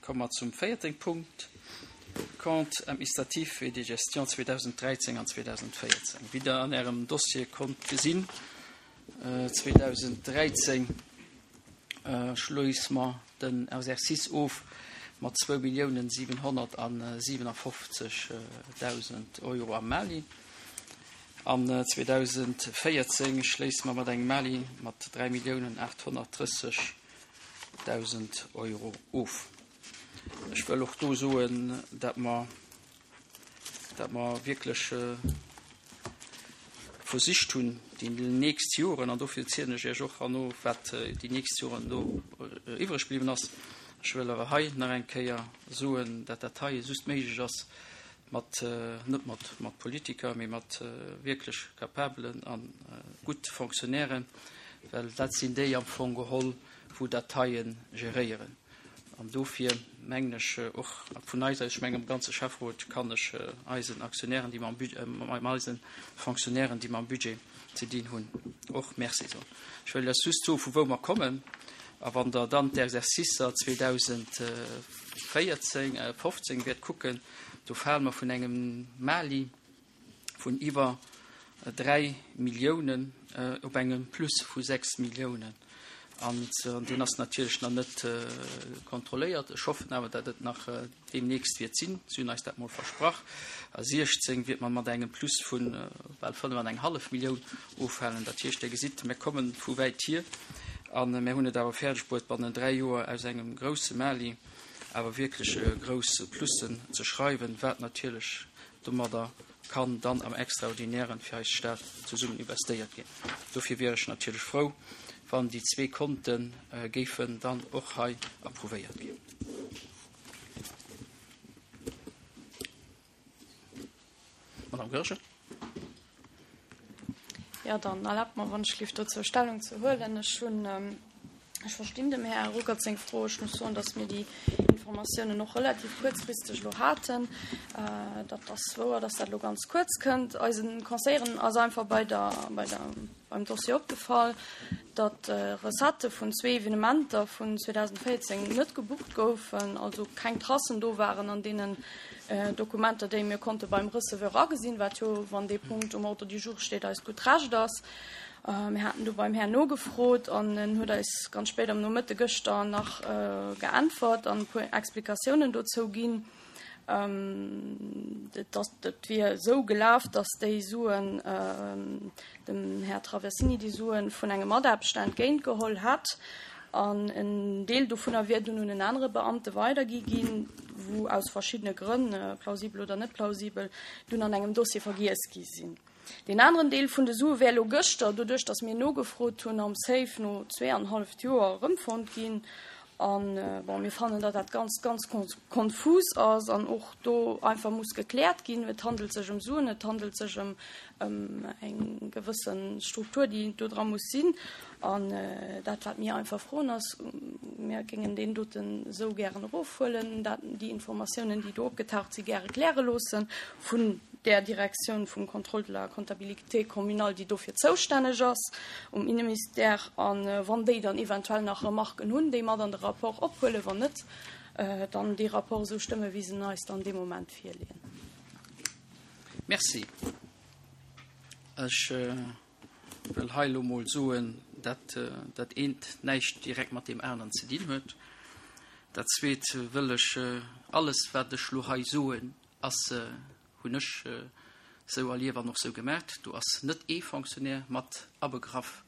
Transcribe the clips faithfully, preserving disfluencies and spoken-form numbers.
Komme mer zum véierten Punkt, Compte administratif et de gestion zweedausenddräizéng an zweedausenddvéierzéng. Wéi Der an Ärem Dossier konnt gesinn, zweedausenddräizéng schléisse mer den Exercice of mat zwou Milliounen siwenhonnertsiwenafofzeg Dausend Euro am Mali. An zweedausenddvéierzéng schléisse mer mat engem Mali mat dräi Milliounen aathonnertdrësseg Dausend Euro of. Ech wëll och do soen, dat mer, dat mer wierklech versicht hunn, déi nächst Joren, an dofir zielen ech Iech och herno, wat déi nächst Joren do iwwreg bliwwen ass. Ech wëll awer hei nach eng Kéier soen, dat dat hei just méiglech ass mat, net mat, mat Politiker, mee mat wierklech capabelen a gutt Fonctionnairen, well dat sinn déi am Fong geholl, wou dat heie geréieren. An dofir mengen ech och vun eis aus, ech mengen am ganze Schäfferot kann ech eisen Aktionären, déi mam Budget, eisen Fonctionnairen, déi mam Budget ze dinn hunn, och Merci soen. Ech wëll lech just soen, vu wou mer kommen. A wann Der dann d'Exercicer zweedausendvéierzéng, fofzéng wäert kucken, do fale mer vun engem Mali vun iwwer dräi Milliounen op engem Plus vu sechs Milliounen. An deen ass natierlech nach net kontrolléiert. Ech hoffen awer, datt et nach deemnächst wäert sinn. Si hunn eis dat mol versprach. A siechzéng wäert mer mat engem Plus vu bal fënnef an eng hallef Millioun ofhalen. Dat heescht, Dir gesitt, mir komme vu wäit hier. A mir hunn et awer fäerdeg bruet, bannent dräi Joer aus engem grousse Mali awer wierklech grouss Plussen ze schreiwen, wat natierlech domadder kann dann am Extraordinären fir eis Stad zesummen investéiert ginn. Dofir wier ech natierlech frou, wann déi zwee Konte géifen dann och hei approuvéiert ginn. Madame Goergen. Jo, dann erlaabt mer, wann ech lift, dozou Stellung ze huelen. Ech hunn, ech verstinn dem Här Ruckert seng Fro. Ech muss soen, dass mir déi Informatiounen och relativ kuerzfristeg elo haten. Dat ass wouer, dass dat elo ganz kuerz kënnt. Eisen Conseilleren ass einfach bei der, bei der, beim Dossier opgefall, datt Recettë vun zwee Evenementer vun zweedausendvéierzéng net gebucht goufen, also keng Tracen do waren an deenen Dokumenter, déi mir konnte beim Receveur agesinn, wat jo, wann dee Punkt um Ordre du jour steet, eist gutt Recht ass. Mir haten do beim Här nogefrot an en huet eis ganz spéit am Nomëtte gëschter nach geäntwert an e puer Explikatiounen dozou ginn. Et ass, et wier esou gelaf, datt déi Suen, dem Här Traversini déi Suen vun engem Mataarbechter entgéint geholl hätt an en Deel dovunner wier dunn un en anere Beamte weidergi ginn, wou aus verschiddene Grënn, plausibel oder net plausibel, dunn an engem Dossier vergiess gi sinn. Deen aneren Deel vun de Sue wär elo gëschter, doduerch datt mir nogefrot hunn, am Safe no zwee an halleft Joer erëmfonnt ginn. An, bon, mir fannen, datt dat Ganzt ganz konfus ass an och do einfach muss gekläert ginn. Et handelt sech ëm Suen, et handelt sech ëm eng gewësse Struktur, déi do dra muss sinn. An dat, wat mir einfach froen, ass, mir géingen deen doten esou gären erofhuelen, dat, déi Informatiounen, déi do opgetaucht sinn, gäre kläre loosse vun där Direktioun vum Contrôle de la comptabilité communale, déi dofir zoustänneg ass um Inneministère, a wann déi dann eventuell nach Remarken hunn, déi mat an de Rapport ophuelen, wann net, dann dee Rapport esou stëmmen, wéi se en eis dann dee Moment virleeën. Merci. Ech wëll hei elo mol soen, dat dat eent näischt direkt mat deem aneren ze dinn huet. Dat zweet wëll ech, alles wat ech elo hei soen, ass, hunn ech sou erlief an och sou gemaacht, do ass net ee Fonctionnaire mat abegraff.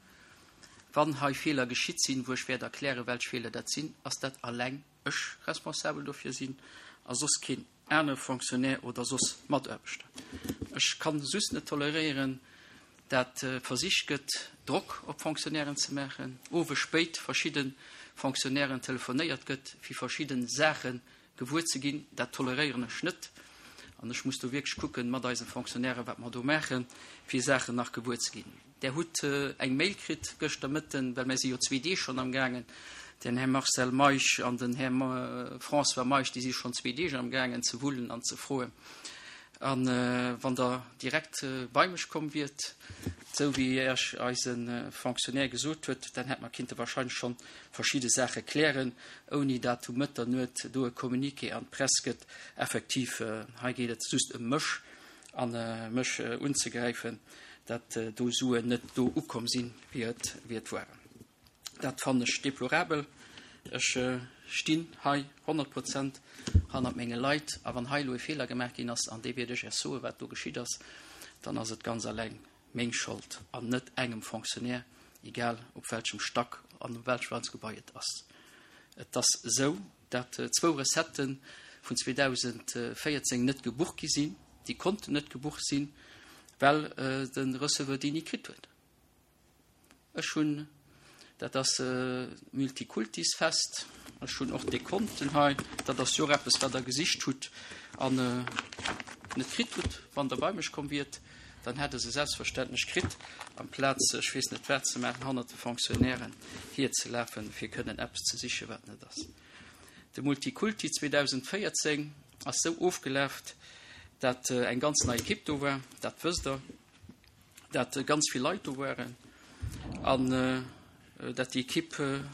Wann hei Feeler geschitt sinn, wou ech wäert erklären, welch Feeler dat sinn, ass dat alleng ech responsabel dofir sinn a soss keen anere Fonctionnaire oder soss Mataarbechter. Ech kann just net toleréieren, dat versicht gëtt, Drock op Fonctionnairen ze maachen, owes spéit verschidde Fonctionnairen telefonéiert gëtt, fir verschidde Saache gewuer ze ginn. Dat toleréieren ech net. An ech muss do wierklech kucken, mat eise Fonctionnairen, wat mer do maachen, fir Saachen nach gewuer ze ginn. Där hutt eng Mail kritt gëschter Mëtten, well mir si jo zwee Deeg schonn amgaangen, den Här Marcel Meisch an den Här François Meisch, déi si schonn zwee Deeg amgaangen ze wullen an ze froen. An wann Der direkt bei mech komm wiert, esou wéi Iech eise Fonctionnaire gesot huet, dann hätt mer kinnte wahrscheinlech schonn verschidde Saache klären, ouni dat um Mëtternuet do e Communiqué an d'Press gëtt. Effektiv, hei geet et just ëm mech an mech unzegräifen, dat do Suen net do ukomm sinn, wéi et, wéi et waren. Dat fannen ech deplorabel. Ech stinn hei honnert Prozent hannert menge Leit. A wann hei elo e Feeler gemaach ginn ass, an dee wäert ech Iech soen, wat do geschitt ass, dann ass et ganz alleng meng Schold an net engem Fonctionnaire, egal op welchem Stack an um welchem Gebai et ass. Et ass esou, dat zwou Recettë vun zweedausendvéierzéng net gebucht gi sinn. Déi konnten net gebucht sinn, well de Receveur déi ni kritt huet. Ech hunn, dat ass Multikultisfest, ech hunn och Dekonten hei, dat ass jo och eppes, wat Der gesicht hutt an net kritt hutt. Wann Der bei mech komm wiert, dann hätt Der se selbstverständlech kritt, amplaz ech weess net wat ze maachen, hannert de Fonctionnairen hierzelafen, fir kënnen eppes ze sichen, wat net ass. De Multikulti zweedausendvéierzéng ass esou ofgelaf, dat eng ganz nei Ekipp do war, dat wësst Der, dat ganz vill Leit do waren an dat déi Ekipp am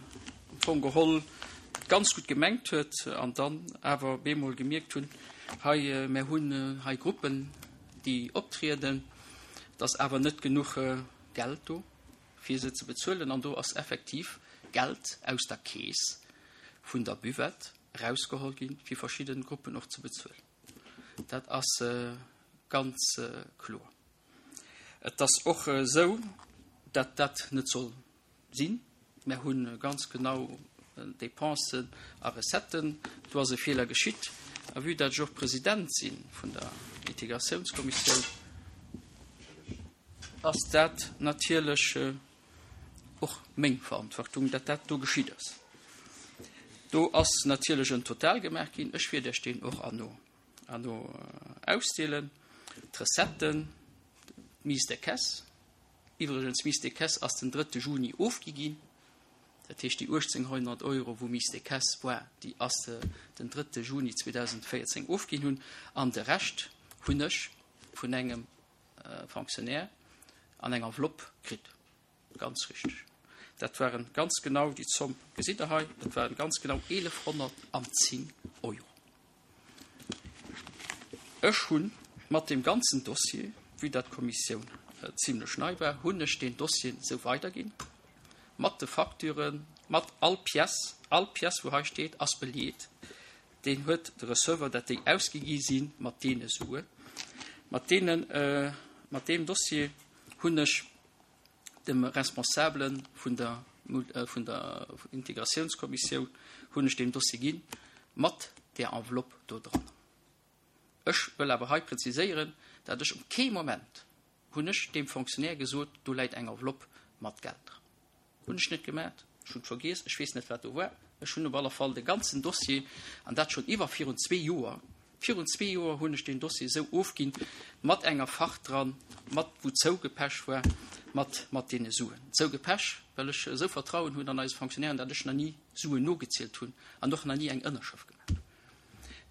Fong geholl et ganz gutt gemengt huet an dann awer bemol gemierkt hunn, hei, mär hunn hei Gruppen, déi optrieden, et ass awer net genuch Geld do, fir se ze bezuelen. An do ass effektiv Geld aus der Keess vun der Buvette erausgeholl ginn, fir verschidde Gruppen och ze bezuelen. Dat ass ganz kloer. Et ass och esou, datt dat net soll sinn. Mär hu ganz genau Dépensen a Recetten. Do ass e Feeler geschitt. A vue datt ech och President si vun der Integratiounskommissioun, ass dat natierlech och meng Verantwortung, datt dat do geschitt ass. Do ass natierlech en Total gemaach ginn. Ech wäert Iech deen och herno herno ausdeelen. D'Recetten, d'Mise de caisse, iwwregens d'Mise de caisse ass den drëtte Juni ofgi ginn, dat heescht déi uechtzénghonnert Euro wou Mise de caisse war, déi ass den drëtte Juni zweedausendvéierzéng ofginn hunn an de Rescht hunn ech vun engem Fonctionnaire an eng Enveloppe kritt. Ganz richteg. Dat waren ganz genau, déi Zomm gesitt Der hei, dat waren ganz genau eelefhonnertanzéng Euro. Ech hu mat deem ganzen Dossier, vue dat d'Kommissioun zimlech nei war, hunn ech deen Dossier esou weiderginn, mat de Facturen, mat all Pièce, all Pièce wou hei steet ass beleet, deen huet de Receveur, dat déi ausgi gi si mat deene Suen. Mat deenen, mat deem Dossier hunn ech dem Responsabele vun der, vun der Integratiounskommissioun hunn ech deen Dossier ginn, mat där Enveloppe do dran. Ech wëll awer hei präziséieren, dat ech op kee Moment hunn ech deem Fonctionnaire gesot, do läit eng Enveloppe mat Geld dran. Hunn ech net gemat. Ech hunn et vergiess, ech weess net, wat do war. Ech hunn op alle Fall de ganzen Dossier, an dat schonn iwwer virun zwee Joer, virun zwee Joer hunn ech deen Dossier esou ofginn, mat enger Fach dran, mat wou zougepecht war, mat, mat deene Suen. Zougepecht, well ech esou Vertrauen hunn an eise Fonctionnairen, datt ech nach ni Suen nogezielt hunn an och nach ni eng Ënnerschrëft gemaach hunn.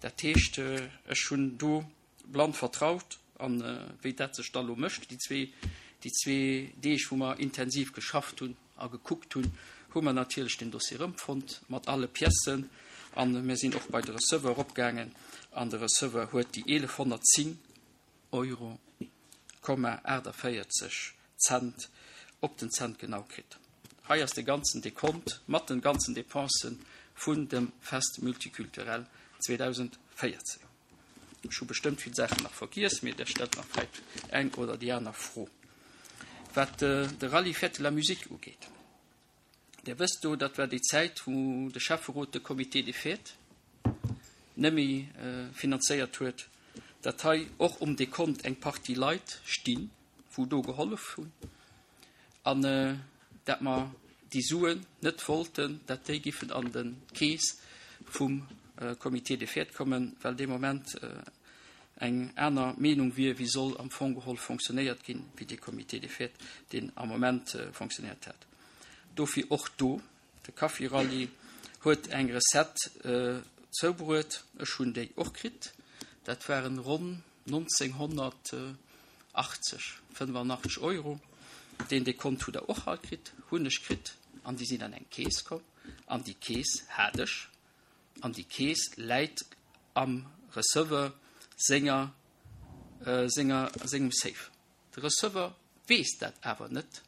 Dat heescht, ech hunn do blann vertraut. An wéi dat sech da lo mécht, déi zwee, déi zwee Deeg, wou mer intensiv geschafft hunn a gekuckt hunn, hu mer natierlech den Dossier erëmfonnt mat alle Piècen. A mir sinn och bei de Receveur eropgaangen an de Receveur huet déi eelefhonnertzéng Euro Komma aachtavéierzeg Cent op den Cent genau kritt. Hei ass de ganzen Dekont mat den ganzen Dépensen vun dem Fest Multiculturel zweedausendvéierzéng. Ech hu bestëmmt vill Saachen nach vergiess, mee der stellt nach vläit eng oder déi aner Fro. Wat de Rallye Fête de la Musique ugeet, Dir wësst do, dat war déi Zäit, wou de Schäfferot de Comité des Fêtes nëmme finanzéiert huet, datt hei och um Dekont eng Partie Leit stinn, wou do gehollef hunn, an dat mer déi Suen net wollten, dat déi giffen an de Keess vum Comité des Fêtes kommen, well dee Moment eng aner Meenung wier, wéi soll am Fong geholl fonctionnéiert ginn, wéi dee Comité des Fêtes, deen am Moment fonctionnéiert hätt. Dofir och do, de Kaffi-Rallye huet eng Recette zoubruet, ech hunn déi och kritt, dat waren ronn nonzénghonnertachtzeg, fënnefanachteg Euro. Deen Dekont hutt Der och all kritt, hunn ech kritt, an déi sinn an eng Keess komm, an déi Keess hat ech, an déi Keess läit am Receveur senger, senger, sengem Safe. De Receveur weess dat awer net,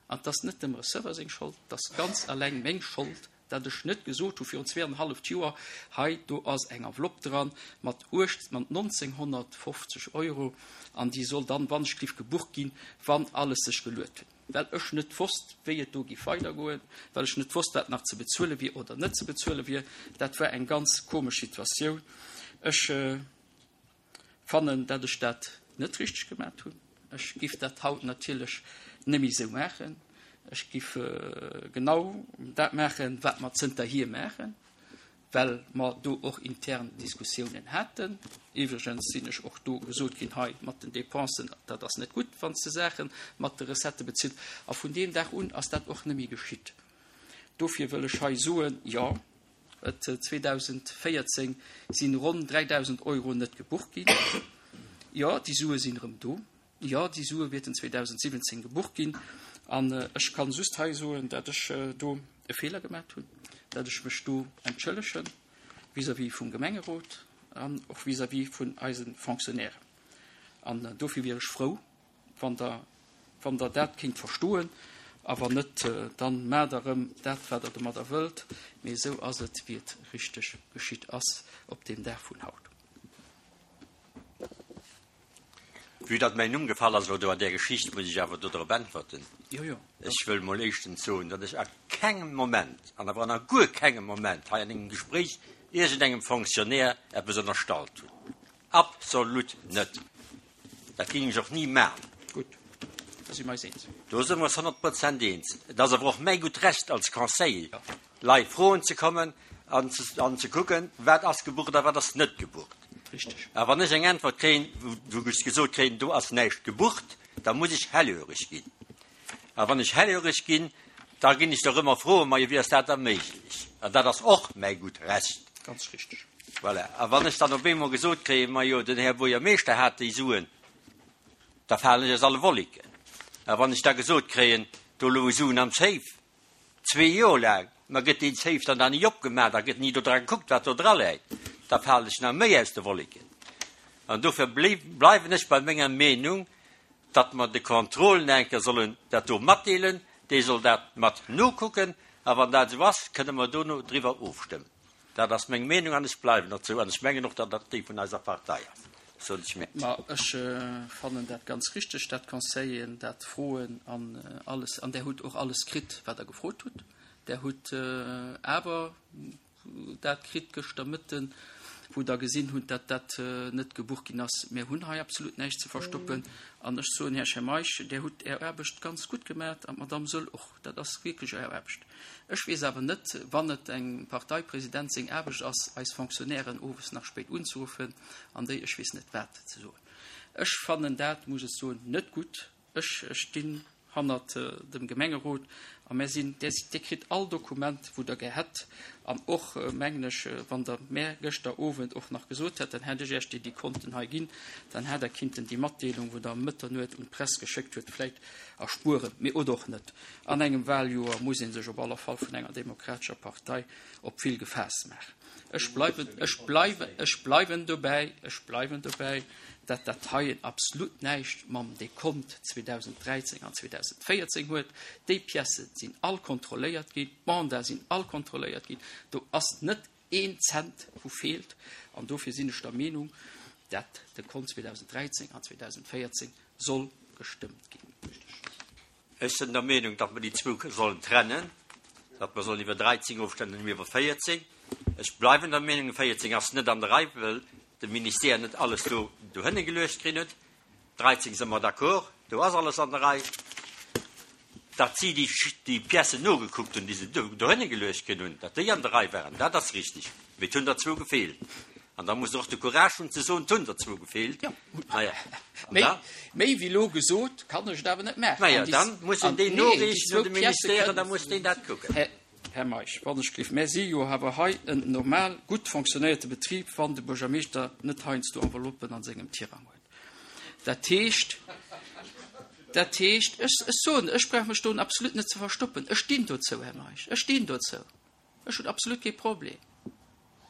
an 't ass net dem Receveur seng Schold, 't ass ganz alleng meng Schold, dat ech net gesot hu virun zwee an e halleft Joer, hei do ass eng Enveloppe dran mat uecht, mat nonzénghonnertfofzeg Euro an déi soll dann, wann ech giff gebucht ginn, wann alles sech geluet huet. Well ech net wosst, wéi et do giff weidergoen, well ech net wosst, wat nach ze bezuele wier oder net ze bezuele wier. Dat war eng ganz komesch Situatioun. Ech fannen, dat ech dat net richteg gemat hunn. Ech giff dat haut natierlech net méi esou maachen. Ech giff genau dat maachen, wat mer zënterhier maachen, well mer do och intern Diskussiounen haten. Iwwregens sinn ech och do gesot ginn, hei mat den Dépensen, dat ass net gutt, wann s de Saache mat de Recettë bezills. A vun deem Dag un ass dat och net méi geschitt. Dofir wëll ech hei soen, jo, et zweedausendvéierzéng si ronn dräidausend Euro net gebucht ginn. Jo, déi Sue sinn erëm do. Jo, déi Sue wäerten zweedausendsiwwenzéng gebucht ginn. An ech kann just hei soen, dat ech do e Feeler gemat hunn, dat ech mech do entschëllege vis-à-vis vum Gemengerot an och vis-à-vis vun eise Fonctionnairen. An dofir wier ech frou, wann der, wann der dat kéint verstoen. A wann net, dann maacht der erëm dat, wat der domadder wëllt. Mee esou ass et, wéi et richteg geschitt ass op deem Dag vun haut. Vue datt mäin Numm gefall ass elo do an där Geschicht, muss ech awer do drop äntwerten. Jo, jo. Ech wëll mol éischtens soen, datt ech a kengem Moment, an awer an a guer kengem Moment hei an engem Gespréich iergendengem Fonctionnaire eppes ënnerstallt hunn. Absolut net. Dat géing ech och ni maachen. Gutt, da si mer eis eens. Do si mer eis honnert Prozent eens. Et ass awer och mäi gutt Recht als Conseiller, Leit froen ze kommen an ze, an ze kucken, wat ass gebucht a wat ass net gebucht. Richtig. A wann ech eng Äntwert kréien, wou ech gesot kréien, do ass näischt gebucht, da muss ech hellhöreg ginn. A wann ech hellhöreg ginn, da ginn ech doch ëmmer froen, ma wéi ass dat da méiglech? An dat ass och mäi gutt Recht. Ganz richtig. Voilà. A wann ech dann op eemol gesot kréien, ma jo, den Här Buergermeeschter hat déi Suen, da falen ech aus alle Wolleken. A wann ech da gesot kréien, do loue Suen am Safe, zwee Joer laang, ma gëtt deen Safe dann da ni opgemaach, da gëtt ni do dra gekuckt, wat do dra läit, da falen ech nach méi aus de Wolleken. An dofir bleiwen ech bei menger Meenung, datt mer de Contrôlen enker sollen dat do matdeelen, déi soll dat mat nokucken, a wann dat esou ass, kënne mer dono driwwer ofstëmmen. Dat ass meng Meenung an ech bleiwen dozou an ech mengen och, datt dat déi vun eiser Partei ass. Soll ech mir. Ma ech fannen dat ganz richteg, dat d'Conseilleren dat froen an alles, an Der hutt och alles kritt, wat Der gefrot hutt. Der hutt awer dat kritt gëschter Mëtten, wou Der gesinn hutt, datt dat net gebucht ginn ass. Mir hunn hei absolut näischt ze verstoppen. An ech soen, Här Schemeisch, Der hutt Är Aarbecht ganz gutt gemaach an d'Madame Söll och. Dat ass wierklech Är Aarbecht. Ech weess awer net, wann et engem Parteipresident seng Aarbecht ass, eis Fonctionnairen owes nach spéit unzeruffen an déi ech weess net wat ze soen. Ech fannen dat, muss ech soen, net gutt. Ech stinn hannert dem Gemengerot a mär sinn, där, Dir kritt all Dokument, wou Der gär hätt. An och, mengen ech, wann Der mär gëschter Owend och nach gesot hätt, dann hätt ech Iech déi déi Konten hei ginn, dann hätt Der kinnten déi Matdeelung, wou Der ëm Mëtternuet un d'Press geschéckt huet, vläicht erspueren, mee oder och net. An engem Wahljoer muss ee sech op alle Fall vun enger demokratescher Partei op vill gefaasst maachen. Ech bleiwen, ech bleiwen, ech bleiwen dobäi, ech bleiwen dobäi, dat dat heien absolut näischt mam Dekont zweedausenddräizéng an zweedausendvéierzéng huet. Déi Piècen sinn all kontrolléiert ginn, d'Mandate sinn all kontrolléiert ginn. Do ass net een Cent, wou feelt. An dofir sinn ech der Meenung, dat de Kont zweedausenddräizéng an zweedausendvéierzéng soll gestëmmt ginn. Ech sinn der Meenung, datt mer déi zwou sollen trennen, datt mer sollen iwwer dräizéng ofstëmmen an iwwer véierzéng. Ech bleiwen der Meenung, véierzéng ass net an der Rei, well de Ministère net alles do dohinne geluecht kritt huet. Dräizéng si mer d'accord, do ass alles an der Rei. Datt si déi, déi Piècen nogekuckt hunn, déi se do, dohinne geluecht kritt hunn, datt déi an der Rei waren, dat ass richtig. Mee et hunn der zwou gefeelt. An da muss der och de Courage hunn ze soen, et hunn der zwou gefeelt. Ja. Naja. An Méi, da? méi wéi elo gesot, kann ech et awer net maachen. Naja, An déi dann muss een an déi nee, déi noriichten zwou un de Piècë Ministère, kënnen da muss deen dat kucken. Här, Här Meisch, wann ech gelift, mär si jo awer hei en normal gutt fonctionnéierte Betrib, wann de Buergermeeschter net heiansdo Enveloppen an sengem Tirang huet. Dat heescht, dat heescht, ech, ech soen, ech brauch mech do absolut net ze verstoppen. Ech stinn dozou, Här Meisch, ech stinn dozou. Ech hunn absolut kee Problem.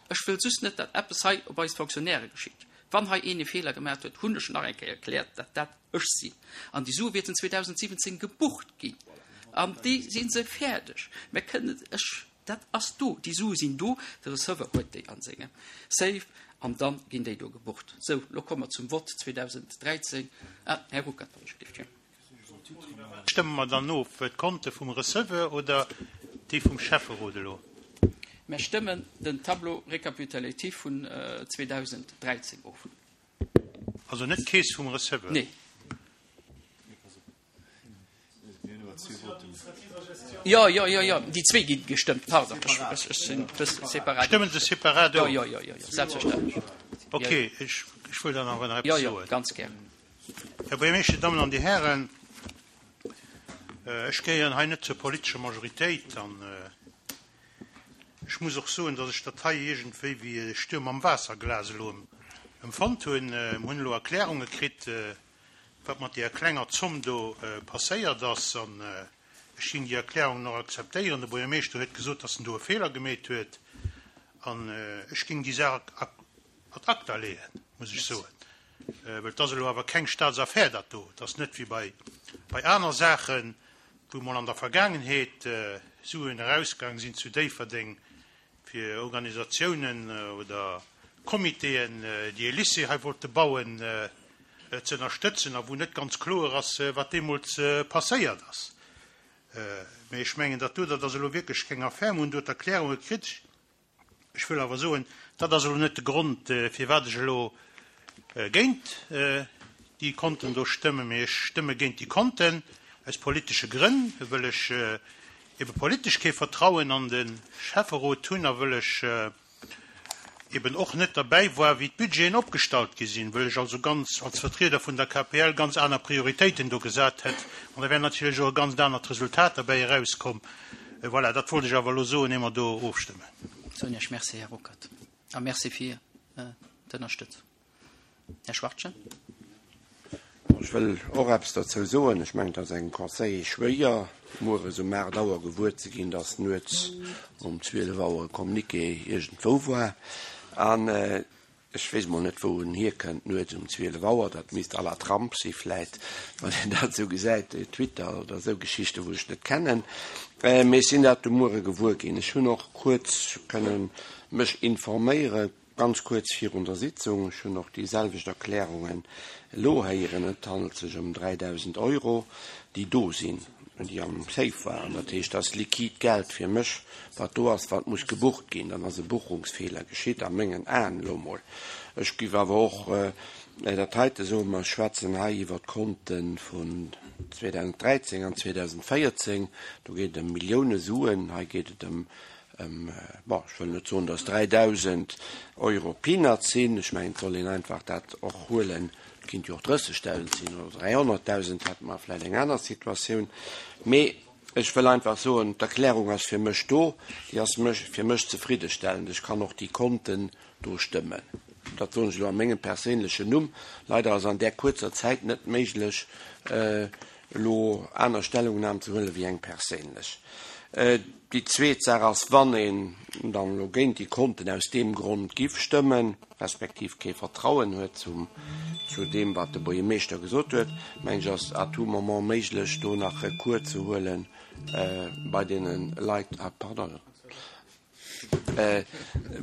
Ech wëll just net, datt eppes hei op eis Fonctionnairë geschitt. Wann hei een e Feeler gemaach huet, hunn ech nach eng Kéier erkläert, datt dat ech sinn. An déi Sue wäerten zweedausendsiwwenzéng gebucht ginn. An déi si se fäerdeg. Mir kënnen, ech, dat ass do, déi Sue sinn do, de Receveur huet déi a sengem Safe an da ginn déi do gebucht. Sou, lo komme mer zum Vott zweedausendräizéng. Ah, Här Ruckert, wann ech gelift, jo. Stëmme mer dann of, d'Konte vum Receveur oder déi vum Schäfferot elo? Mer stëmmen den Tableau récapitulatif vun zweedausendräizéng of. Also net d'Keess vum Receveur? Nee. Jo, jo, jo, jo, déi zwee gi gestëmmt, pardon, ech, ech sinn e bësse separat. Stëmmen se separat Jo, of? jo, jo, jo, jo, selbstverständlech. Ok, ech, ech wëll dann awer nach Jo, eppes jo, soen. ganz gär. Här Buergermeeschter, Dammen an Dir Hären, ech gehéieren hei net zur politescher Majoritéit an ech muss och soen, datt ech dat hei iergendwéi wéi e Stuerm am Waasserglas elo empfonnt hunn. Mir hunn elo Erklärunge kritt, wat mat deeër klenger Zomm do passéiert ass an ech géing déi Erklärungen och akzeptéieren. De Buergermeeschter huet gesot, datt en do e Feeler gemeet huet an ech géing déi Saach ad acta leeën, muss ech soen. Well et ass elo awer keng Staatsaffär dat do. Et ass net wéi bei, bei aner Saachen, wou mol an der Vergaangenheet Suen erausgaang sinn zu Déifferdeng fir Organisatiounen oder Comitéen, déi e Lycée hei wollte bauen, ze ënnerstëtzen a wou net ganz kloer ass, wat deemools passéiert ass. Mee ech mengen, dat do, dat ass elo wierklech keng Affär. Mir hunn do d'Erklärunge kritt. Ech wëll awer soen, dat ass elo net de Grond, firwat ech elo géint déi Konten do stëmmen, mee ech stëmme géint déi Konten aus politesche Grënn, wëll ech ebe politesch kee Vertrauen an de Schäfferot hunn a wëll ech eben och net derbäi war, wéi d'Budgeten opgestallt gi sinn, wëll ech also ganz als Vertrieder vun der K P L ganz aner Prioritéiten do gesat hätt. An da wär natierlech och e ganz anert Resultat derbäi erauskomm. Voilà, dat wollt ech awer elo soen, ier mer do ofstëmmen. Soen Iech Merci, Här Ruckert. A merci fir d'Ënnerstëtzung. Här Schwartjen. Ech wëll och eppes dozou soen. Ech mengen, et ass engem Conseiller schwéier, mueres um aacht Auer gewuer ze ginn, datt nuets um zwielef Auer e Communiqué iergendwou war. An ech weess mol net, wou en hierkënnt, nuets um zwielef Auer. Dat misst à la Trump si vläit, wann een dat esou gesäit, Twitter oder esou Geschichten, wou ech net kennen. Mee ech sinn dat de Muere gewuer ginn. Ech hunn och kuerz kënnen mech informéieren, ganz kuerz virun der Sitzung. Ech hunn och déi selwecht Erklärungen elo héieren. Et handelt sech ëm dräidausend Euro, déi do sinn, déi am Safe waren. Dat heescht, dat ass liquid Geld fir mech, wat do ass, wat muss gebucht ginn. Dann ass e Buchungsfeeler geschitt, a mengen Aen elo mol. Ech giff awer och dat heite soen, mer schwätzen hei iwwer d'Konte vun zweedausenddräizéng an zweedausendvéierzéng. Do geet et ëm Millioune Suen. Hei geet et ëm, ëm, bon, ech wëll net soen, dass dräidausend Euro Peanuts sinn. Ech mengen, et soll een einfach dat och huelen. Et kinnt jo och drëssegdausend sinn oder dräihonnertdausend, hätte mer vläicht eng aner Situatioun. Mee ech wëll einfach soen, d'Erklärung ass fir mech do, déi ass mech, fir mech zefriddestellend. Ech kann och déi Konten do stëmmen. Dat soen ech elo a mengem perséinlechen Numm. Leider ass an där kuerzer Zäit net méiglech, elo aner Stellungnahmen ze huelen wéi eng perséinlech. Déi zweet Saach ass, wann een dann elo géint déi Konten aus deem Grond giff stëmmen, respektiv kee Vertrauen huet zum, zu deem, wat de Buergermeeschter gesot huet, mengen ech, ass à tout moment méiglech, do nach Recours ze huelen, bei deene Leit, ah, pardon,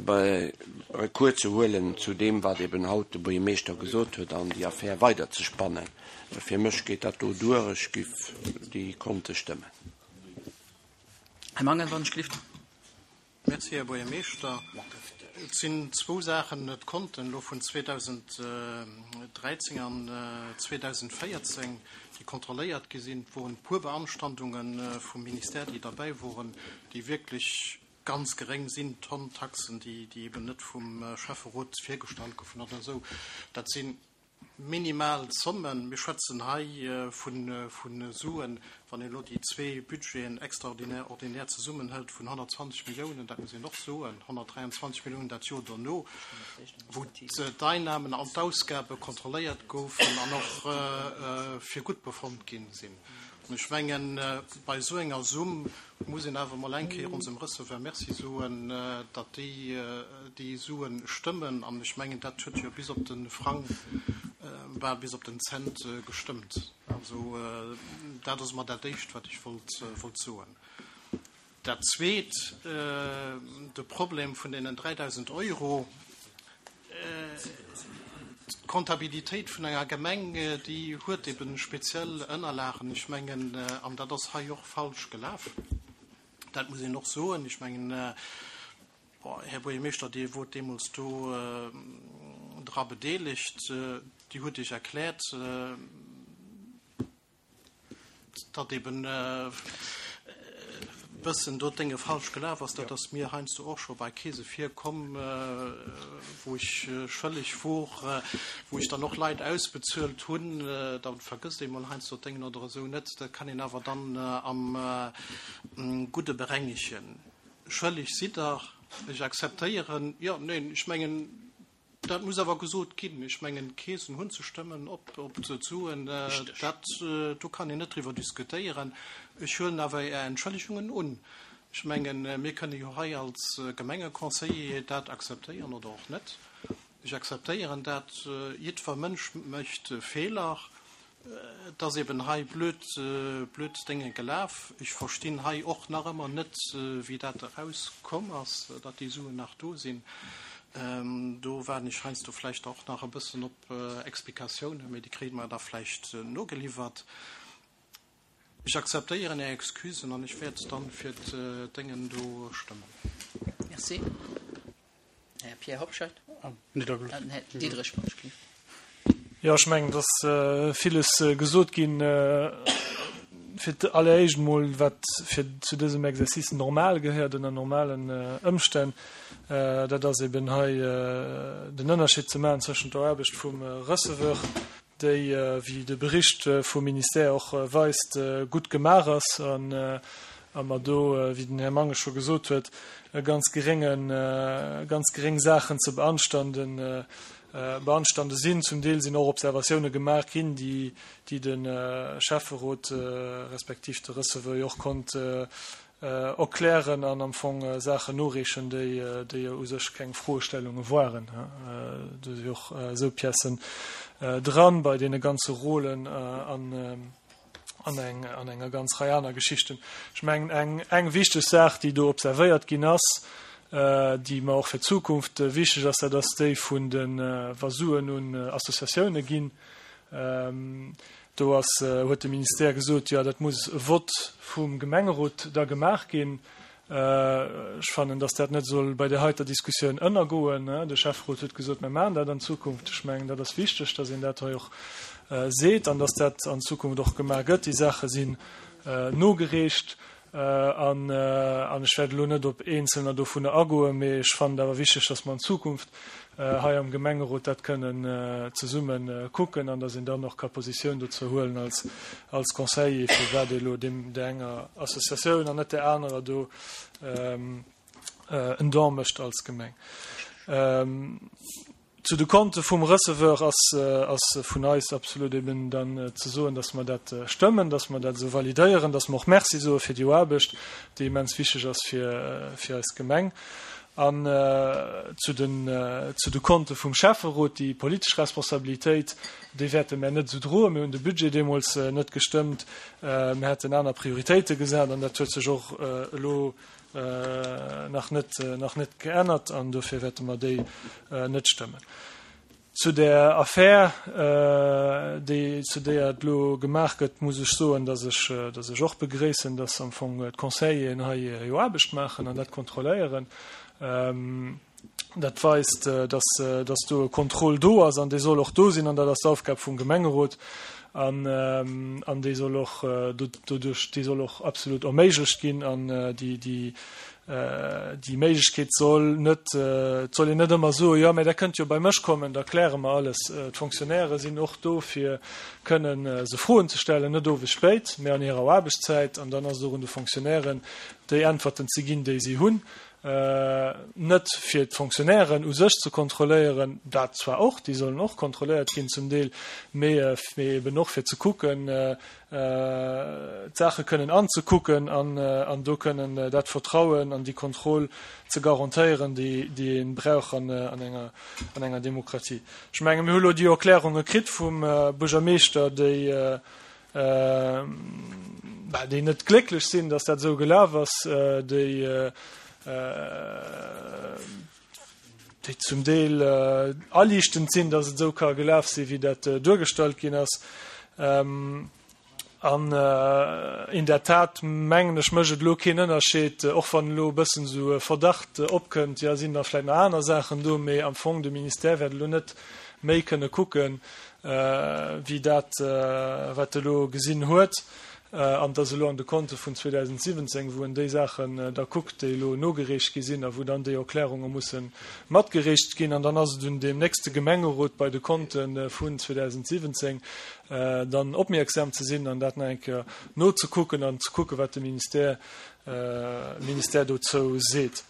bei Recours ze huelen zu deem, wat eben haut de Buergermeeschter gesot huet, an déi Affär weiderzespannen. Fir mech geet dat do duer, ech giff déi Konte stëmmen. Här Mangen, wann ech gelift. Merci, Här Buergermeeschter. Et sinn zwou Saachen, d'Konten elo vun zweedausenddräizéng an zweedausendvéierzéng, déi kontrolléiert gi sinn. Et woren e puer Beanstandungen vum Ministère, déi derbäi woren, déi wierklech ganz geréng sinn, Tonn Taxen, déi, déi eben net vum Schäfferot virgestallt goufen oder esou. Dat sinn minimal Zommen. Mir schwätzen hei vun, vun Suen, wann een elo déi zwee Budgeten extraordinär, ordinär zesummenhëlt, vun honnertzwanzeg Milliounen, dat muss een och soen, honnertdräianzwanzeg Milliounen dat Joer dono, wou d'Einnahmen an d'Ausgabe kontrolléiert goufen an och fir gutt befonnt ginn sinn. An ech mengen, bei esou enger Summ muss een awer emol eng Kéier onsem Receveur Merci soen, datt déi déi Sue stëmmen. An ech mengen, dat huet jo bis op de Frang, bal bis op den Cent gestëmmt. Also dat ass emol dat Éischt, wat ech wollt wollt soen. Dat Zweet, de Problem vun deenen dräidausend Euro. D'Kontabilitéit vun enger Gemeng, déi huet eben speziell Ënnerlagen. Ech mengen, an dat ass hei och falsch gelaf, dat muss een och soen. Ech mengen, Här Buergermeeschter, Dir wort deemools do dra bedeelegt, Dir hutt Iech erkläert, datt eben e bëssen do d'Dénge falsch gelaf ass. Dat ass mir heiansdo och scho bei Keese virkomm, wou ech schëlleg wor, wou ech dann och Leit ausbezuelt hunn. Da vergësst ee mol heiansdo d'Déngen oder esou net. Dat kann een awer dann am Gudde berengegen. Schëlleg sidd Der, ech akzeptéieren. Jo, neen, ech mengen, dat muss awer gesot ginn. Ech mengen, d'Keesen hunn ze stëmmen op d'Suen. Dat, do kann een net driwwer diskutéieren. Ech huelen awer Är Entschëllegungen un. Ech mengen, mir kënne jo hei als Gemengeconseiller dat akzeptéieren oder och net. Ech akzeptéieren dat. Jiddwer Mënsch mécht Feeler. Et ass eben hei blöd, blöd Dénge gelaf. Ech verstinn hei och nach ëmmer net, wéi dat erauskomm ass, datt déi Suen nach do sinn. Do waarden ech heiansdo vläicht och nach e bëssen op Explikatiounen, mee déi kréie mer da vläicht nogeliwwert. Ech akzeptéieren Är Excusen an ech wäert dann fir d'Déngen do stëmmen. Merci. Här Pierre Hobscheit. Här Diderich, Entschuldigung. Jo, ech mengen, et ass villes gesot ginn. Fir d'alleréischt emol, wat fir zu dësem Exercice normal gehéiert ënner normalen Ëmstänn, dat ass eben hei den Ënnerscheed ze maachen zwëschent der Aarbecht vum Receveur, déi, wéi de Bericht vum Ministère och weist, gutt gemaach ass an a mer do, wéi den Här Mangen scho gesot huet, ganz gerénge, ganz geréng Saachen ze beanstanden, beanstande sinn. Zum Deel sinn och Observatioune gemaach ginn, déi, déi de Schäfferot respektiv de Receveur jo och konnt erklären an am Fong Saachen noreechen, déi, déi jo u sech keng Froestellunge waren. Do si och esou Piècen dran bei deene ganze Rôlen an, an eng, an enger ganz Rei aner Geschichten. Ech mengen, eng, eng wichteg Saach, déi do observéiert ginn ass, déi mer och fir d'Zukunft wichteg ass, dat ass déi vun de wa Suen un Associatioune ginn. Do ass, huet de Ministère gesot, jo, dat muss e Vott vum Gemengerot da gemaach ginn. Ech fannen, datt dat net soll bei där heiter Diskussioun ënnergoen. De Schäfferot huet gesot, mir maachen dat an Zukunft. Ech mengen, dat ass wichteg, datt een dat hei och seet an datt dat an Zukunft och gemaach gëtt. Déi Saache sinn nogereecht an ech wäert elo net op eenzelner dovunner agoen, mee ech fannen et awer wichteg, datt mer an Zukunft hei am Gemengerot dat kënnen zesumme kucken an datt een dann och ka Positioun dozou huelen als als Conseiller, firwat ee elo deem där enger Associatioun an net där anerer do en Don mécht als Gemeng. Zu de Konte vum Receveur ass ass vun eis absolut eben dann ze soen, dass mer dat stëmmen, dass mer dat esou validéieren, dass mer och Merci soe fir déi Aarbecht, déi immens wichteg ass fir fir eis Gemeng. An zu den zu de Konte vum Schäfferot, déi politesch Responsabilitéit, déi wäerte mär net esou droen. Mir hunn de Budget deemools net gestëmmt, mir hätten aner Prioritéite gesat an dat huet sech och elo nach net nach net geännert an dofir wäerte mer déi net stëmmen. Zu der Affär, déi zu déier et elo gemaach gëtt, muss ech soen, dass ech dass ech och begréissen, dass am Fong d'Conseilleren hei jo Aarbecht maachen an dat kontrolléieren. Dat weist, dass dass do e Contrôle do ass an dee soll och do sinn an dat ass d'Aufgab vum Gemengerot an an déi soll och doduerch déi soll och absolut erméiglecht ginn an déi déi Déi Méiglechkeet soll net, et soll een net ëmmer soen, jo, mä Der kënnt jo bei mech kommen, da kläre mer alles. D'Fonctionnairë sinn och do, fir kënnen se Froen ze stellen, net owes spéit, mä an hirer Aarbechtszäit. An dann ass et och un de Fonctionnairen, déi Äntwerten ze ginn, déi si hunn. Net fir d'Fonctionnairen u sech ze kontrolléieren, dat zwar och, déi sollen och kontrolléiert ginn zum Deel, mee eben och fir ze kucken, d'Saache kënnen anzekucken an do kënnen dat Vertrauen an déi Kontroll ze garantéieren, déi ee brauch an enger Demokratie. Ech menge mir hu lo déi Erklärunge kritt vum Buergermeeschter, déi déi net glécklech sinn, datt dat esou gelaf ass, déi déi zum Deel aliichtend sinn, datt et esou ka gelaf sinn, wéi dat duergestallt ginn ass. An in der Tat, mengen ech, mécht et elo keen Ënnerscheed, och wann elo e bëssen esou e Verdacht opkënnt, jo, sinn da vläicht nach aner Saachen do, mee am Fong, de Ministère wäert elo net méi kënne kucken, wéi dat, wat e elo gesinn huet. An et ass elo an de Konte vun zweedausendsiwwenzéng, wou en déi Saachen da kuckt, déi elo nogereecht gi sinn a wou dann déi Erklärunge musse matgereecht ginn. An dann ass et un deem nächste Gemengerot bei de Konte vun zweedausendsiwwenzéng dann opmierksam ze sinn an dat nach eng Kéier nozekucken an ze kucken, wat de Ministère, Ministère dozou seet.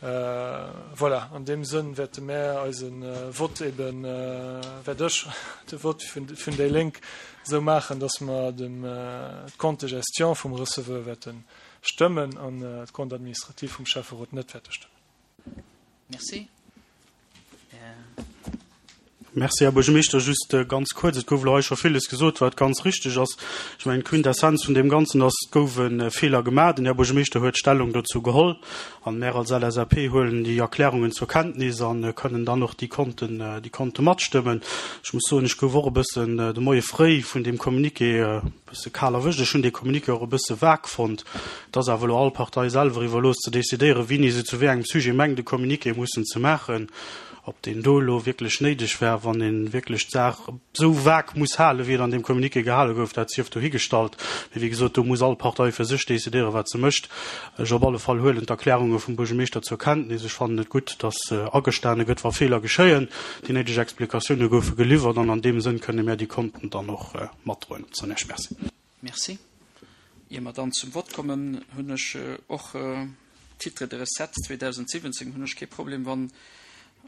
Voilà, an deem Sënn wäerte mär eise Vott eben, wäert ech de Vott vun déi Lénk esou maachen, dass mer dem d'Compte de gestion vum Receveur wäerte stëmmen an d'Compte administratif vum Schäfferot net wäerte stëmmen. Merci. Merci, Här Buergermeeschter. Just ganz kuerz, et gouf elo hei scho villes gesot, wat ganz richteg ass. Ech mengen, d'Quintessenz vun deem Ganzen ass, et gouf e Feeler gemaach. Den Här Buergermeeschter huet Stellung dozou geholl an mär als L S A P huelen déi Erklärungen zur Kenntnis a kënnen dann och déi Konten, déi Konte matstëmmen. Ech muss soen, ech gouf och e bëssen de Moie fréi vun deem Communiqué e bësse kal erwëscht. Ech hunn dee Communiqué och e bësse vag fonnt. Et ass awer elo all Partei selwer iwwerlooss ze decidéieren, wéini se zu wéi engem Sujet mengt, e Communiqué mussen ze maachen. Ob deen do elo wierklech néideg wär, wann ee wierklech d'Saach esou vag muss halen, wéi et an deem Communiqué gehale gouf, dat sief dohigestallt. Mee wéi gesot, do muss all Partei fir sech decidéieren, wat se mécht. Ech op alle Fall huelen d'Erklärunge vum Buergermeeschter zur Kenntnis. Ech fannen et gutt, dass agestane gëtt, wa Feeler geschéien. Déi néideg Explikatioune goufe geliwwert an an deem Sënn kënne mär déi Konten dann och matdroen. Zu Iech Merci. Merci. Ier mer dann zum Vott kommen, hunn ech och Titre de recette zweedausendsiwwenzéng hunn ech kee Problem, wann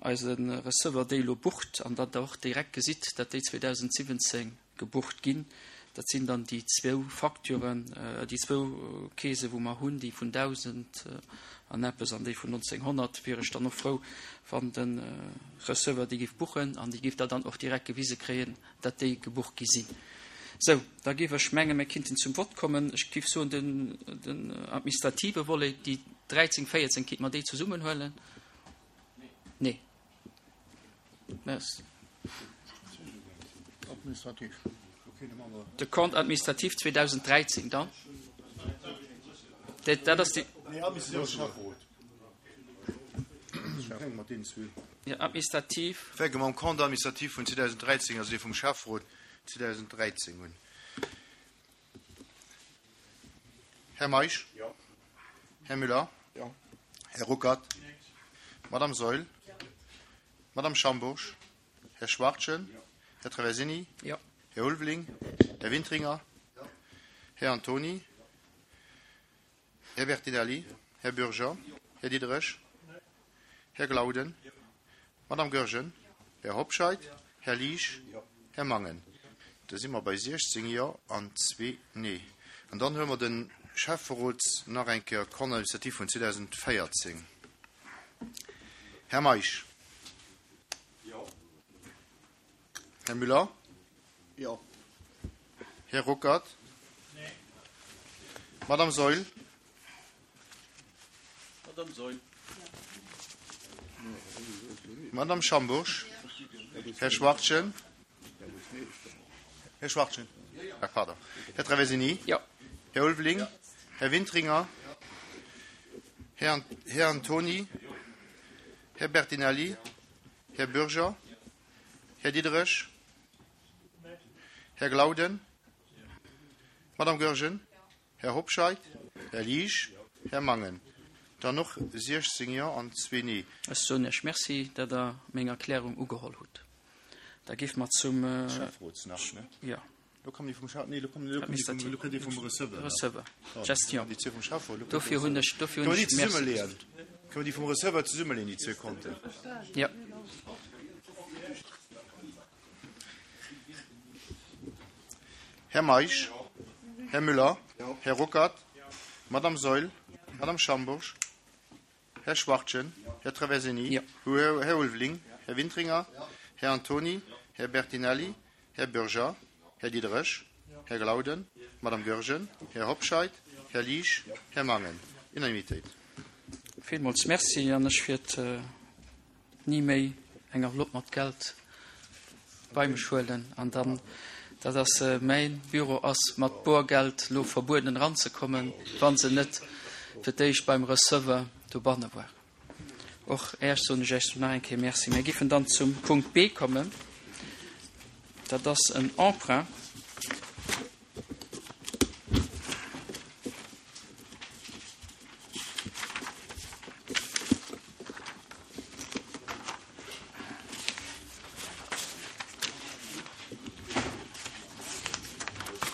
eise Receveur déi elo bucht an datt Der och direkt gesitt, datt déi zweedausendsiwwenzéng gebucht ginn. Dat sinn dann déi zwou Facturen, déi zwou Keese wou mer hunn, déi vun dausend an eppes an déi vun nonzénghonnert. Wier ech dann och frou, wann de Receveur déi géif buchen an déi géif Der dann och direkt gewise kréien, datt déi gebucht gi sinn. Sou, da géif ech mengen, mir kinnten zum Vott kommen. Ech géif soen, den, den administrative Volet, déi dräizéng, véierzéng, kinnt mer déi zesummen huelen? Nee. De Compte administratif zweedausendräizéng dann. Dat ass déi. Jo, administrativ. Fänke mam Compte administratif vun zweedausendräizéng, also dee vum Schäfferot zweedausendräizéng un. Här Meisch? Jo. Här Müller? Jo. Här Ruckert? Madame Saeul? Madame Schambourg? Här Schwachtgen? Här Traversini? Jo. Här Ulveling? Här Wintringer? Här Antoni? Här Bertinelli? Här Bürger? Här Diderich? Här Glauden? Madame Goergen? Här Hobscheit? Här Liesch? Här Mangen? Da si mer bei siechzéng Jo an zwee Nee. An dann huele mer de Schäfferot nach eng Kéier, Compte administratif vun zweedausendvéierzéng. Här Meisch? Jo. Här Müller? Jo. Här Ruckert? Nee. Madame Saeul? Madame Saeul. Madame Schambourg? Här Schwachtgen? Här Schwachtgen? Ah, pardon. Här Traversini? Jo. Här Ulveling? Här Wintringer? Här, Här Antoni? Här Bertinelli? Här Bürger? Här Diderich? Här Glauden? Madame Goergen? Här Hobscheit? Här Liesch? Här Mangen? Dann och siechzéng Jo an zwee Nee. Ech soen Iech Merci, datt Der meng Erklärung ugeholl hutt. Da géife mer zum. Schäfferots nach, ne? Jo. Lo kommen déi vum Schäff, nee, lo kommen, lo kommen déi vum, lo kënnt déi vum Receveur nach. Receveur, Pardon, Gestion. déi zwee vum Schäfferot, lo kënnt Dofir hunn ech, dofir Kënne hunn mer déi ech Merci zesummeleeën? gesot. Kënne mer déi vum Receveur zesummeleeën, déi zwee Konten? Jo. Här Meisch, Här Müller, Här Ruckert, Madame Saeul, Madame Schambourg, Här Schwachtgen, Här Traversini, Här Ulveling, Här Wintringer, Här Antony, Här Bertinelli, Här Bürger, Här Diderich, Här Glauden, Madame Goergen, Här Hobscheit, Här Liesch, Här Mangen. Unanimitéit. Villmools Merci an ech wäert ni méi eng Enveloppe mat Geld bei mech huelen an dann, dat ass mäin Büro ass mat Borgeld lo verbueden eranzekommen, wa se net fir d'éischt beim Receveur dobanne waren. Och Äech soen ech Äech nach eng Kéier Merci. Mir giffen dann zum Punkt B kommen. Dat ass en Emprunt.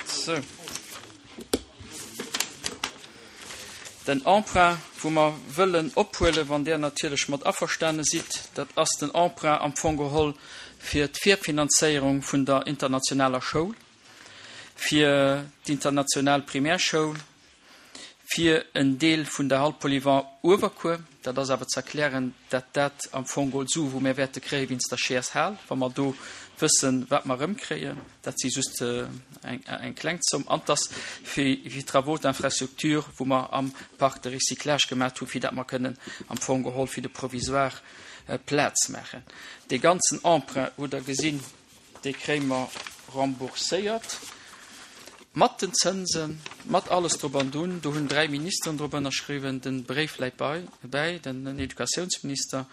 Sou. Den Emprunt, wou mer wëllen ophuelen, wann Där natierlech mat averstane sidd, dat ass den Emprunt am Fong geholl fir d'Virfinanzéierung vun der internationaler Schoul, fir d'international Primärschoul, fir en Deel vun der Hall Polyvalent Uewerkuer. Dat ass awer ze erklären, dat dat am Fong geholl Sue wou mir wäerte kréie wéinst der Scheershal, wa mer do wëssen, wat mer erëmkréien. Dat si just eng, eng kleng Zomm. An dass fir, fir Travaux d'infrastructure, wou mer am Parc de recyclage gemaach hu, fir dat mer kënnen am Fong geholl fir de Provisoire Plaz maachen. Dee ganzen Emprunt, hutt Der gesinn, dee kréie mer rembourséiert. Mat den Zënsen, mat alles drop an drun. Do hunn dräi Ministeren drop ënnerschriwwen, den Bréif läit bei, bäi, den Educatiounsminister,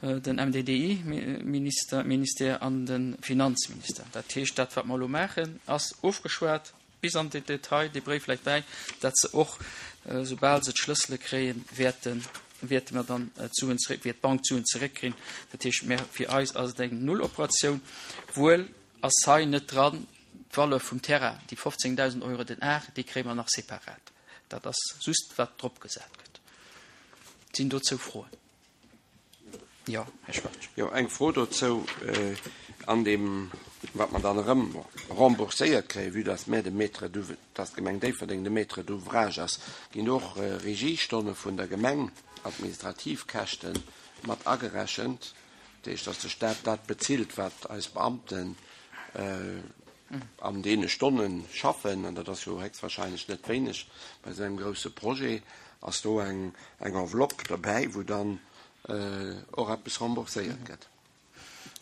den M D D I-Minister, Ministère an de Finanzminister. Dat heescht, dat wat mer elo maachen, ass ofgeschwat bis an den Detail, dee Bréif läit bäi, dat se och, soubal se d'Schlëssele kréien, wäerten, wäerte mer dann d'Suen zeréck, wäert d'Bank d'Suen zeréckkriegen. Dat heescht, mer, fir eis ass et eng Nulloperatioun. Wuel ass hei net dran d'Valeur vum Terrain, déi fofzéngdausend Euro den Ar, déi kréie mer nach separat. Dat ass just, wat drop gesat gëtt. Sinn dozou Froen? Jo, Här Schwarz. Jo, eng Fro dozou, an dem, wat man dann erëm rembourséiert kréien, vue dass mir de Maître d'ouv-, dass d'Gemeng Déifferdeng de Maître d'ouvrage ass, ginn och Regiestonne vun der Gemeng, Administrativkäschten mat agerechent, dat heescht, dass de Staat dat bezilt, wat eis Beamten an deene Stonnen schaffen, an dat ass jo höchstwahrscheinlech net wéineg bei esou engem grousse Projet, ass do eng, eng Enveloppe dobäi, wou dann och eppes rembourséiert gëtt.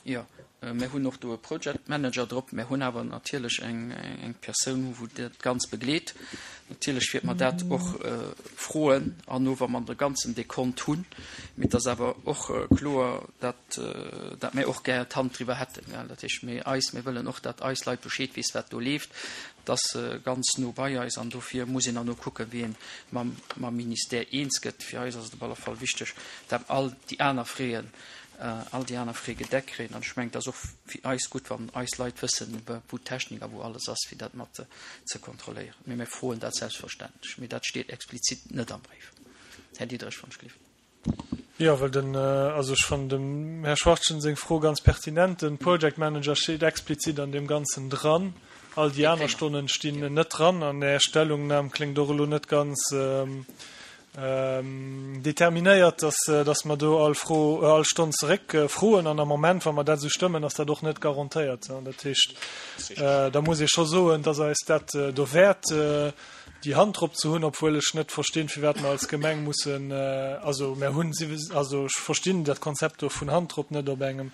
Jo, mir hunn och do e Project Manager drop, mir hunn awer natierlech eng, eng Persoun, wou dat ganz begleet. Natierlech wird man dat och froen, an no, wa man de ganzen Dekont hunn, mee dat ass awer och kloer, dat, dat mir och gär d'Hand driwwer hätten. Ja, dat heescht, mir eis, mir wëllen och, dat eis Leit Bescheed weess, wat do leeft, das ganz no bei eis, an dofir muss een dann no kucken, wéi een mam, mam Ministère eens gëtt. Fir eis ass et op alle Fall wichteg, dat all déi aner Fräen, all déi aner Fräe gedeckt kréien. An ech mengen, dat ass och fir eis gutt, wann eis Leit wëssen, wou d'Technik a wou alles ass, fir dat mat ze kontrolléieren. Mee mir froen dat selbstverständlech. Mee dat steet explizit net am Brief. Här Diderich von Schliff. Ja, well den, also ech fand dem Herr Schwarzchen seng Fro ganz pertinent. Den Project Manager steet explizit an dem Ganzen dran. All déi aner Stonnen stinn net dran. An der Stellungnahme klingt och elo net ganz, ähm, ähm, determinéiert, dass, dass mer do all Fro, all Stonn zeréck, äh, froen. An am Moment, wann mer dat sou stëmmen, ass dat och net garantéiert. Ja, dat heescht, äh, da muss ich scho soen, dass eis dat, äh, do wäert, äh, déi Hand drop ze hunn, obwohl ech net verstinn, fir wat mer als Gemeng mussen, äh, also mer hunn sie, also ech verstinn dat Konzept do vun Hand drop net op engem,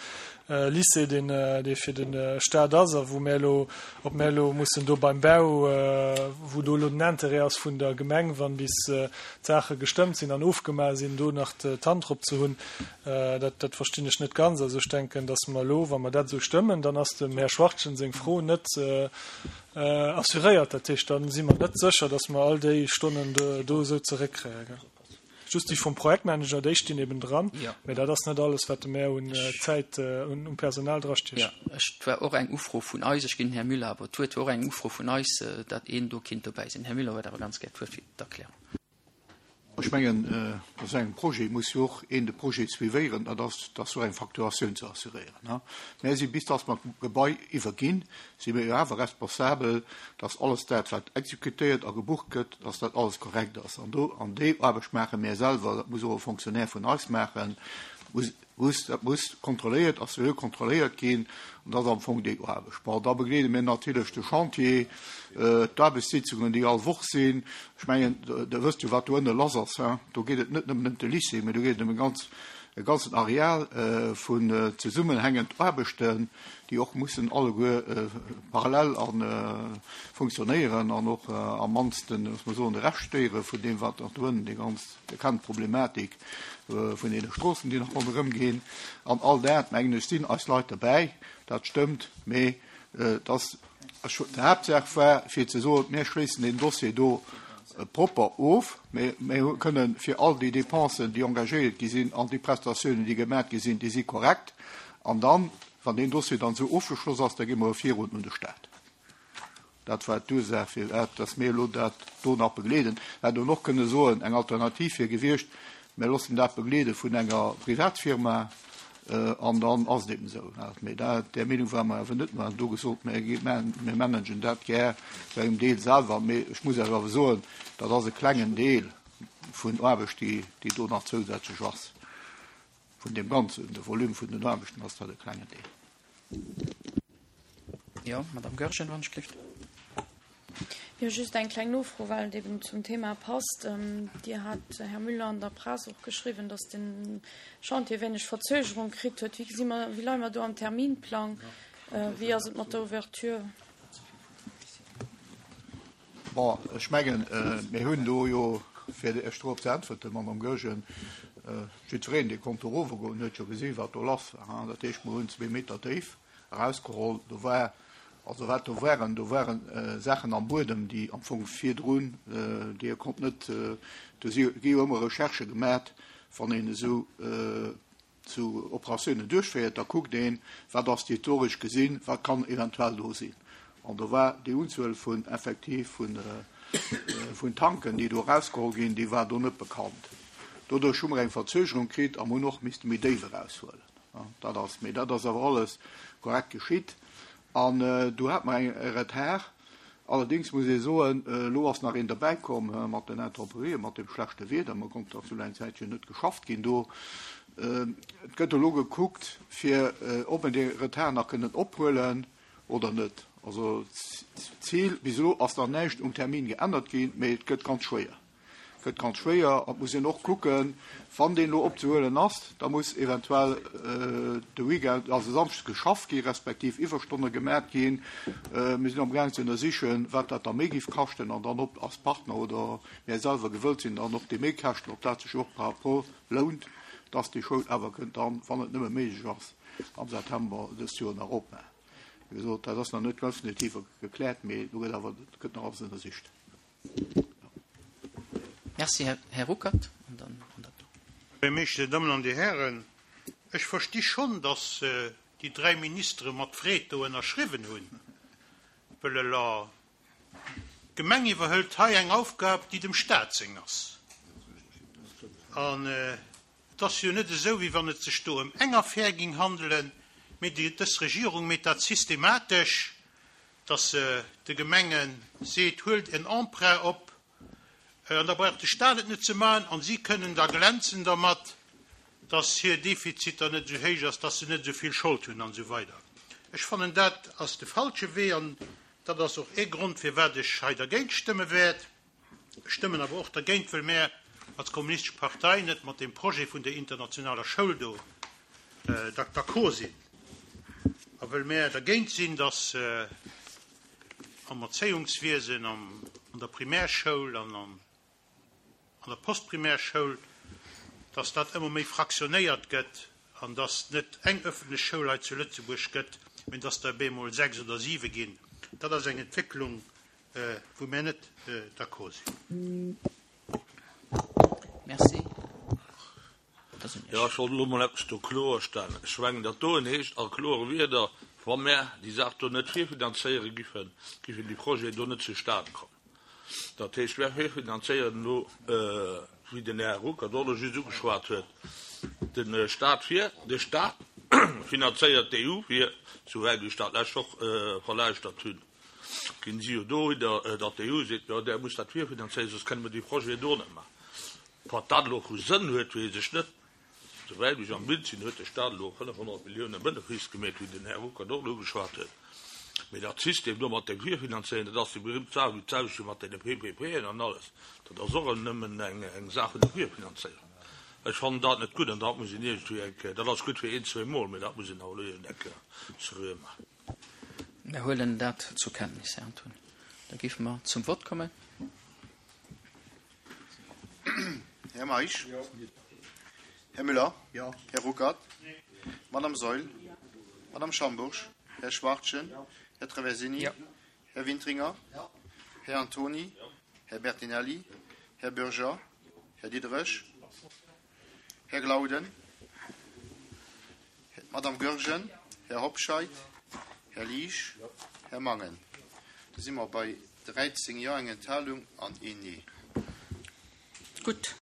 äh, Lycée, den, äh, dee fir den, äh, Staat ass, a wou mer lo, ob mer lo mussen do beim Bau, äh, wou do lo den Intérêt ass vun der Gemeng, wann bis, äh, d'Sache gestëmmt sinn an ofgemaach sinn, do nach d'Hand drop ze hunn, äh, dat, dat verstinn ech net ganz. Also ech denken, dass mer lo, wann mer dat sou stëmmen, dann ass dem Herr Schwarzchen seng Fro net, äh, äh, assuréiert. Dat heescht, dann si mer net sécher, dass mer all déi Stonnen do, do sou zeréckkréien, gell? Just déi vum Projektmanager, déi stinn eben dran. Mä dat ass net alles, wat mär un Zäit, un Personal drastiechen. Jo, et war och eng Ufro vun eis, ech ginn den Här Müller awer d'Wuert, war och eng Ufro vun eis, datt een do kinnt dobäi sinn. Här Müller huet awer ganz gär d'Wuert fir d'Erklärung. Ech mengen, bei esou engem Projet muss jo och een de Projet suivéieren, dat ass, dass och eng Facturatioun ze assuréieren. Mär si bis dass mer d'Gebai iwwerginn, si mir jo awer responsabel, dass alles dat, wat exekutéiert a gebucht gëtt, dass dat alles korrekt ass. An do, an déi Aarbecht maache mär selwer, dat muss och e Fonctionnaire vun eis maachen, muss, muss, dat muss kontrolléiert a seriö kontrolléiert ginn, an dat ass am Fong déi Aarbecht. Bon, da begleede mir natierlech de Chantier, d'Aarbechtssitzungen, déi all Woch sinn. Ech mengen, Der wësst jo, wat do ënne lass ass, hein. Do geet et net nëmmen ëm de Lycée, mä do geet et ëm e ganz, e ganzen Areal vun zesummenhängend Aarbechten, déi och mussen alleguer parallel a funktionéieren an och am mannsten, muss mer soen, de Rescht stéiere vun deem, wat nach do ënnen déi ganz Dir kennt d'Problematik vun deene Stroossen, déi nach ronderëm ginn. An all dat, mengen ech, sinn eis Leit derbäi. Dat stëmmt. Mee et ass, d'Haaptsaach war, fir ze soen, Mir schléissen deen Dossier do propper of. Mir kënnen fir all déi Dépensen, déi engagéiert gi sinn, an déi Prestatiounen, déi gemaach gi sinn, déi si korrekt. An dann, wann deen Dossier dann esou ofgeschloss ass, da gi mer e virun un de Stat. Dat war d'Ursaach, firwat dass mir elo dat do nach begleeden. Mir hätten och kënne soen, eng Alternativ wier gewiescht, mir loossen dat begleede vun enger Privatfirma an dann ass et eben esou. Mee dat, där Meenung ware mer awer net. Mer hunn do gesot, mir mir managen dat gär zu engem Deel selwer. Mee ech muss Iech awer soen, dat ass e klengen Deel vun Aarbecht, déi déi do nach zousätzlech ass. Vun deem ganzen, de Volume vun den Aarbechten ass dat e klengen Deel. Jo, Madame Goergen, wann ech gelift. Jo, just eng kleng Nofro, well et eben zum Thema passt. Dir hat, Här Müller, an der Press och geschriwwen, datt de Chantier wéineg Verzögerung kritt huet. Wéi gesi mer, wéi leie mer do am Terminplang? Wéi ass et mat der Ouverture? Bon, ech mengen, mir hunn do jo, fir Iech dorop ze äntwerten, Madame Goergen, jiddwereen, dee konnt do erovergoen, huet jo gesinn, wat do lass war. Dat heescht, mer hunn zwee Meter déif erausgeholl. Do war, also wat do waren, do ware Saachen am Buedem, déi am Fong virdrun, déi e konnt net, do si gi jo ëmmer Recherchë gemat, wann een esou esou Operatiounen duerchféiert, da kuckt een, wat ass historesch gesinn, wat kann eventuell do sinn. An do war déi Unzuel vun effektiv vun vun Tanken, déi do erausgeholl ginn, déi war do net bekannt. Doduerch hu mer eng Verzögerung kritt a mer hunn och misste méi déif eraushuelen. Dat ass, mee dat ass awer alles korrekt geschitt. An do hate mer e Retard. Allerdéngs muss ee soen, elo ass nach een derbäikomm mat den Intemperië, mat dem schlechte Wieder. Mer konnt nach esou eng Zäitchen net geschafft ginn do. Et gëtt elo gekuckt, fir ob mer dee Retard nach kënnen ophuelen oder net. Also d'Zil, bis elo ass nach näischt um Termin geännert ginn, mee et gëtt ganz schwéier. Gëtt ganz schwéier an et muss een och kucken, wann deen elo opzehuelen ass, da muss eventuell de Weekend, also samschdes geschafft gi respektiv Iwwerstonne gemat ginn. Mir sinn amgaang ze ënnersichen, wat dat da méi géif kaschten an dann ob als Partner oder mär selwer gewëllt sinn, dann och déi Méikäschten, ob dat sech och par rapport lount, dass déi Schoul awer kënnt dann, wann et nëmme méiglech ass, am September dëst Joer nach opmaachen. Wéi gesot, dat ass nach net definitiv gekläert, mee do gëtt awer gëtt nach alles ënnersicht. Merci, Här Ruckert. An dann an dat do. Här Buergermeeschter, Dir Dammen an Dir Hären, ech versti schonn, datt déi dräi Ministere mat Freed do ënnerschriwwen hunn, wëll ela d'Gemeng iwwerhëlt hei eng Aufgab, déi dem Stat seng ass. An et ass jo net esou, wéi wann et sech do ëm eng Affär ging handelen, mee dës Regierung meet dat systematesch, datt se de Gemenge seet, Huelt en Emprunt op, an da brauch de Stat et net ze maachen, an si kënnen da glänzen dermat, datt hir Defiziter net esou héich ass, datt se net esou vill Schold hunn an esou weider. Ech fannen, dat ass de falsche Wee an dat ass och ee Grond, firwat ech hei dergéint stëmme wäert. Ech stëmmen awer och dergéint, wëll mär als Kommunistesch Partei net mat deem Projet vun der internationaler Schoul do d'accord sinn a wëll mär dergéint sinn, datt am Erzéiungswiesen, an der Primärschoul an an der Postprimärschoul, datt dat ëmmer méi fraktionéiert gëtt an datt net eng öffentlech Schoul hei zu Lëtzebuerg gëtt, mä datt der bemol sechs oder siwe ginn. Dat ass eng Entwécklung, wou mär net d'accord sinn. Merci. ass un Iech. Jo, ech wollt elo mol eppes do kloerstellen. Ech mengen, dat doen heescht a klore Wierder, wa mär déi Saach do net virfinanzéiere giffen, giffen déi Projeten do net zustan kommen. Dat heescht, mär virfinanzéieren elo, wéi den Här Ruckert och elo just ugeschwat huet, de Stat vir. De Stat finanzéiert d'EU vir, souwäit ech dat d'lescht Woch verlauschtert hunn, ginn si jo dohinner, datt d'EU seet, jo, där musst dat virfinanzéieren, soss kënne mer déi Projeten do net maachen. Wat dat elo vu Sënn huet, weess ech net. Souwäit ech am Bild sinn, huet de Stat elo fënnefhonnert Milliounen Benefice gemeet, wéi den Här Ruckert och elo ugeschwat huet. Mee dat System do mat dem Virfinanzéieren, dat ass déi berühmt Saach wéi d'selwecht wéi mat deene PPPen an alles, dat ass och nëmmen eng Saach vun der Virfinanzéierung. Ech fannen dat net gutt an dat muss een iergendwéi eng Kéier, dat ass gutt fir een, zwee Mol, mee dat muss een awer elo iergend eng Kéier seriö maachen. Mir huelen dat zur Kenntnis, Här Antony. Da géife mer zum Vott kommen. Här Meisch? Här Müller? Här Ruckert? Madame Saeul? Madame Schambourg? Här Schwachtgen? Här Traversini? Här Wintringer? Här Antony? Här Bertinelli? Här Bürger? Här Diderich? Här Glauden? Madame Goergen? Här Hobscheit? Här Liesch? Här Mangen? Da si mer bei dräizéng Jo, eng Enthalung an een Nee. Gutt,